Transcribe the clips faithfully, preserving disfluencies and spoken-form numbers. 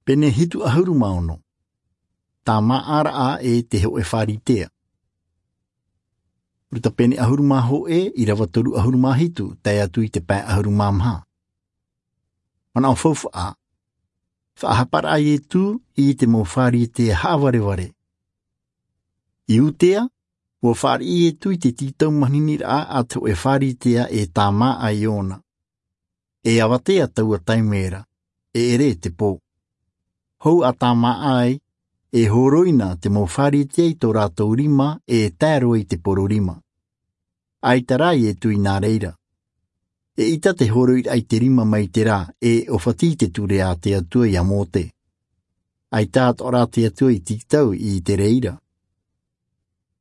Pene hitu ʻahuru mā ono. Tāmāʻaraʻa e te hōʻē Pharisea. Luka pene ʻahuru mā hōʻē, ʻīrava toru ʻahuru mā hitu, tae atu i te pae ʻahuru mā maha. Manaʻo faufaʻa. Faʻahaparaʻa Iesu i te mau Pharisea haʻavarevare. I Iudea, ʻua fāriʻi Iesu i te tītau maniniraʻa a te hōʻē Pharisea e tāmāʻa iāna. E avatea taua taime ra, e ʻere te pō. Hou a tāmāʻa ai, e hōroʻa na te mau Pharisea i tō rātou rima e tae roa i te poro rima. ʻAita rā Iesu i nā reira. Eʻita te hōroʻaraʻa i te rima mai terā e ʻōfati i te ture a te Atua ia Mōse. ʻAita atoʻa rā te Atua i tītau i te reira.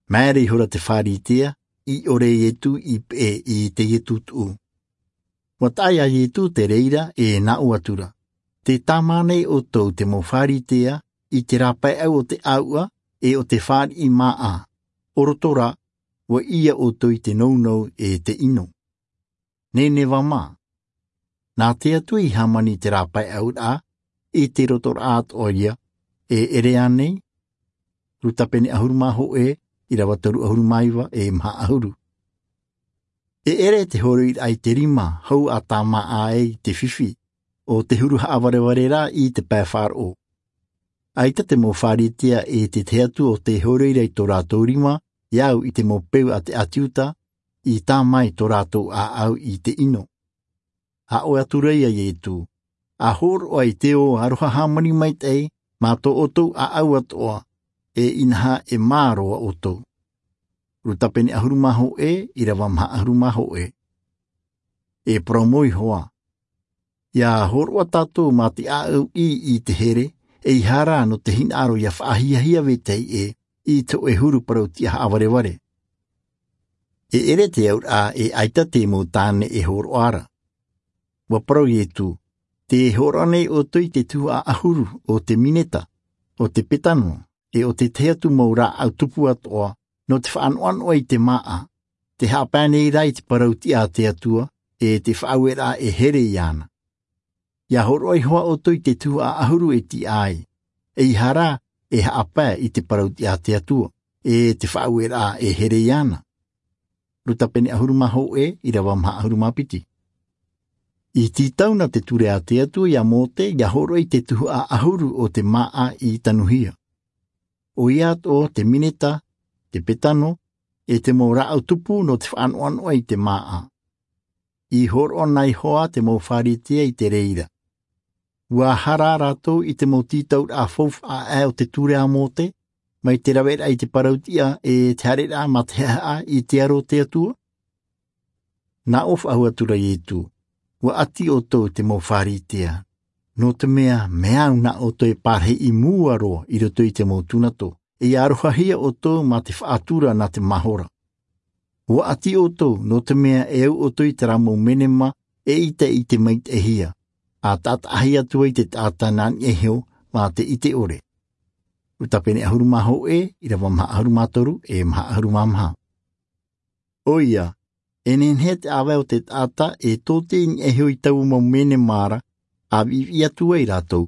Maere ihora te Pharisea, i ʻore Iesu i peʻe i teie tūtuʻu. ʻUa taʻa ia Iesu te reira e nā ʻō atu ra. Tē tāmā nei ʻoutou te mau Pharisea i te rāpaeʻau o te ʻāuʻa e o te fāriʻi māʻa. ʻO roto rā, ʻua ʻī ʻoutou i te nounou e te ʻino. Nīneva mā. Nā te Atua i hāmani te rāpaeʻauraʻa, i te rotoraʻa atoʻa ia, e ʻere ānei? Luka pene ʻahuru mā hōʻē, ʻīrava toru ʻahuru mā iva e maha ʻahuru. E ʻere te hōroʻaraʻa i te rima hou a tāmāʻa ai i te fifi, ʻo te huru haʻavarevare rā i te pae faʻaroʻo. ʻAita te mau Pharisea e te tahi atu o tē hōroʻa ra i tō rātou rima, ia au i te mau peu a te ʻĀti Iuta, i tāmā i tō rātou ʻāʻau i te ʻino. ʻA ʻō atu ra ia Iesu, ʻa hōroʻa i te ō aroha hāmani maitaʻi, mā tō ʻoutou ʻāʻau atoʻa, e inaha e mā roa ʻoutou. Luka pene ʻahuru mā hōʻē, ʻīrava maha ʻahuru mā hōʻē. E parau mau iho ā. Ia hōroʻa tātou mā te ʻāʻau ʻī i te here, ʻeiaha rā nō te hinaʻaro ia faʻahiahia vetahi ʻē, i te hōʻē huru parautiʻa haʻavarevare. E ʻere te auraʻa e ʻaita te mau tāne e hōroʻa ra. ʻUa parau Iesu, tē hōroʻa nei ʻoutou i te tuhaʻa ʻahuru o te mineta, o te petano, e o te tahi atu mau rāʻau tupu atoʻa, nō te faʻanoʻanoʻa i te māʻa, tē haʻapae nei rā i te parautiʻa a te Atua, e te faʻaueraʻa e here iāna. Ia hōroʻa iho ā ʻoutou i te tuhaʻa ʻahuru e tiʻa ai, ʻeiaha rā e haʻapae i te parautiʻa a te Atua, e te faʻaueraʻa e here iāna. Luka pene ʻahuru mā hōʻē, ʻīrava maha ʻahuru mā piti. I tītau na te ture a te Atua ia Mōse, ia hōroʻa i te tuhaʻa ʻahuru o te māʻa i tanuhia. ʻOia atoʻa te mineta, te petano, e te mau rāʻau tupu nō te faʻanoʻanoʻa i te māʻa. I hōroʻa na iho ā te mau Pharisea i te reira. ʻUa hara rātou i te mau tītauraʻa faufaʻa ʻē o te ture a Mōse, mai te raveraʻa i te parautiʻa e te haereraʻa mā te haʻehaʻa i te aro o te Atua? Nā ʻō faʻahou atu ra Iesu, ʻua ʻati ʻoutou te mau Pharisea, nō te mea, mea au nā ʻoutou e pārahi i mua roa i roto i te mau tūnato, e ia arohahia ʻoutou mā te faʻatura nā te mahora. ʻUa ʻati ʻoutou, nō te mea e au ʻoutou i terā mau menema, eʻita i te maitaʻihia, ʻa taʻataʻahia atu ai te taʻata nā niʻa iho, mā te ʻite ʻore. Luka pene ʻahuru mā hōʻē, ʻīrava maha ʻahuru mā toru, e maha ʻahuru mā maha. ʻOia, e nehenehe te ʻāvae o te taʻata e tōtē i niʻa iho i taua mau menema ra, ʻa viʻiviʻi atu ai rātou.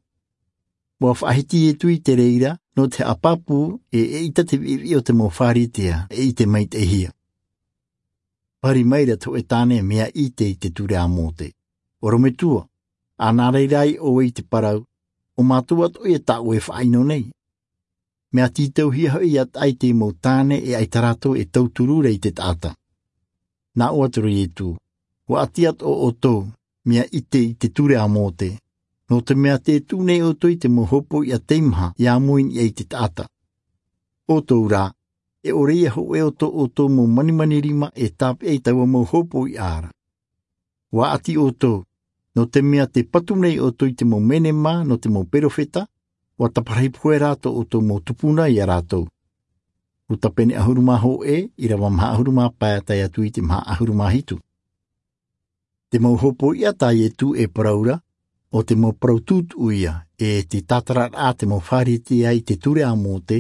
ʻUa faʻahiti Iesu i te reira, nō te haʻapāpū, e eʻita te viʻiviʻi o te mau Pharisea, e ʻite maitaʻihia. Pari maira te hōʻē tāne mea ʻite i te ture a Mōse. ʻOrometua, ʻa nā reira ai ʻoe i te parau, ʻo mātou atoʻa ia tā ʻoe e faʻaʻino nei. Mea tītauhia hoʻi ia taʻa i te mau tāne e ʻaita rātou e tauturu ra i te taʻata. Nā ʻō atu ra Iesu, ʻua ʻati atoʻa ʻoutou, mea ʻite i te ture a Mōse, nō te mea tē tuʻu nei ʻoutou i te mau hōpoiʻa teimaha ia moe i niʻa i te taʻata. ʻOutou rā, e ʻore ia hōʻē o tō ʻoutou mau manimani rima e tāpeʻa i taua mau hōpoiʻa ra. ʻUa ʻati ʻoutou, nō te mea tē patu nei ʻoutou i te mau menema nō te mau perofeta, ʻua taparahi pohe rā tō ʻoutou mau tupuna ia rātou. Luka pene ʻahuru mā hōʻē, ʻīrava maha ʻahuru mā pae tae atu i te maha ʻahuru mā hitu. Te mau hōpoiʻa tā Iesu e parau ra, ʻo te mau parau tūtuʻu ia, e te tātararaʻa te mau Pharisea i te ture a Mōse,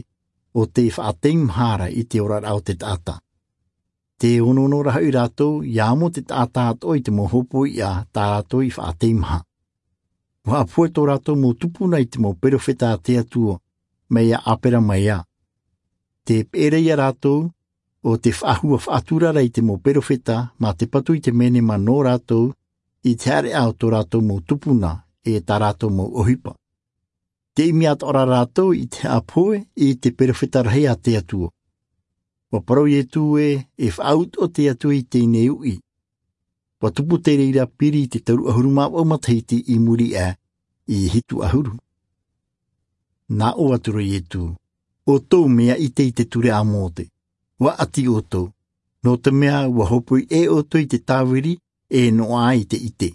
ʻo tē faʻateimahara i te oraraʻa o te taʻata. Tē onoono ra hoʻi rātou, ia amo te taʻata atoʻa i te mau hōpoiʻa tā rātou i faʻateimaha. Ua haʻapohe tō rātou mau tupuna i te mau perofeta a te Atua, mai iā Aperama ia. Te peʻeraʻa ia rātou, ʻo te faʻahua faʻaturara i te mau perofeta, mā te patu i te menema nō rātou, i te haʻareʻa o tō rātou mau tupuna, e tā rātou mau ʻohipa. Te ʻimi atoʻa ra rātou i te haʻapohe, i te perofeta rahi a te Atua. Ua parau Ietu ē, e faʻautuʻa te Atua i teie nei uʻi. Ua tupu te reira piri i te toru ʻahuru mā vaʻu matahiti i muri aʻe, i hitu ʻahuru. Nā ʻō atu ra Ietu, ʻoutou mea ʻite i te ture a Mōte, ua ʻati ʻoutou, nō te mea ua hōpoi ʻē ʻoutou i te tāviri, e noaʻa i te ʻite.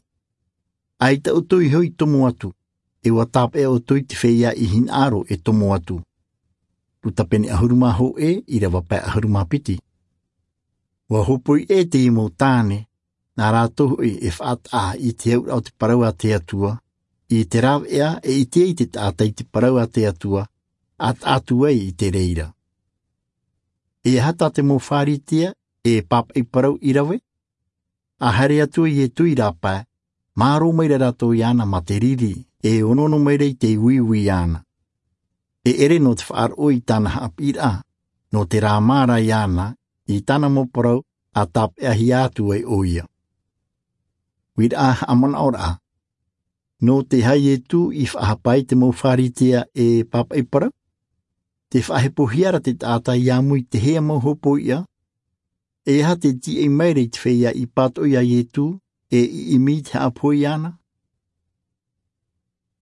ʻAita ʻoutou iho i tomo atu, e ua tāpeʻa ʻoutou i te feiā i hinaʻaro e tomo atu. Luka pene ʻahuru mā hōʻē, ʻīrava pae ʻahuru mā piti. Ua hōpoi ʻē teie mau tāne, nā rātou hoʻi e faʻataʻa i te auraʻa o te parau a te Atua, i te rāveʻa e ʻite ai te taʻata i te parau a te Atua, a taʻa atu ai i te reira. E aha tā te mau Pharisea, e pāpaʻi parau i rave? A haere atu Ietu i rāpae, mārō mai ra rātou iāna mā te riri, e onoono mai ra i te uiui iāna. E ʻere nō te faʻaroʻo i tāna haʻapiʻiraʻa, nō te rāmā ra iāna, i tāna mau parau, a tāpeʻahia atu ai ʻoia. Uiraʻa haʻamanaʻoraʻa. Nō te aha Ietu i faʻahapa ai te mau Pharisea e pāpaʻi parau? Te faʻahepohia ra te taʻata i ʻāmui i te hea mau hōpoiʻa? E aha te tīaʻi mai ra i te feiā i pātoʻi iā Ietu, e i ʻimi i te haʻapohe iāna?